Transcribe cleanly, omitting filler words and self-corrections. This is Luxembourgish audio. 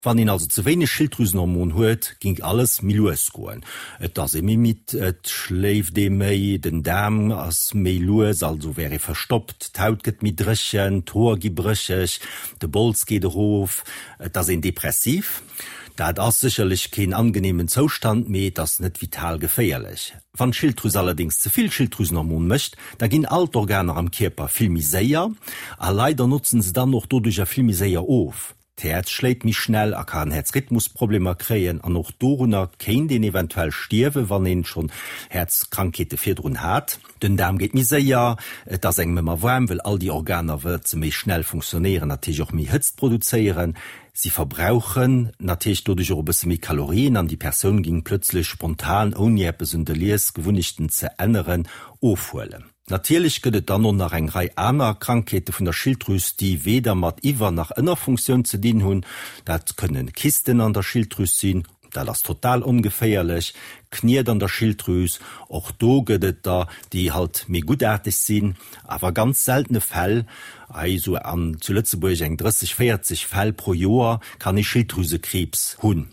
Wann een also ze wéineg Schilddrüsenhormon huet, ging alles méi lues goen. Et ass ee méi midd, et schléift ee méi, den Daarm ass méi lues, also wär ee verstoppt, d'Haut gëtt méi dréchen, d'Hoer gi brécheg, de Bols geet erof, et ass een depressiv. Dat ass sécherlech keen angeneemen Zoustand, mee et ass net vital geféierlech. Wann d'Schilddrüs allerdéngs ze vill Schilddrüsenhormon mécht, da ginn all d'Organer am Kierper vill méi séier a leider notzen se dann och doduercher vill méi séier of. D'Häerz schléit méi schnell a kann Häerzrhythmusproblemer kréien an och dorunner kéint een eventuell stierwen, wann een schonn Häerzkrankheete virdrun hat. Den Daarm geet méi séier, et ass engem ëmmer waarm, well all déi Organer, well se méi schnell funktionéieren, natierlech och méi Hëtzt produzéieren. Si verbrauchen natierlech doduerch och e bësse méi Kalorien an déi Persoun géing plëtzlech spontan, ouni eppes un de Liesgewunnechten ze änneren, ofhuelen. Natierlech gëtt et dann och nach eng Rei aner Krankheete vun der Schilddrüs, déi weder mat Iwwer nach Ënnerfunktioun ze dinn hunn. Dat kënne Kysten an der Schilddrüs sinn, dat ass total ongeféierlech, Kniet an der Schilddrüs, och do gëtt et der, déi halt méi guttaarteg sinn, awer ganz seltene Fäll, hei esou an zu Lëtzebuerg eng 30, 40 Fäll pro Joer, kann ee Schilddrüsekriibs hunn.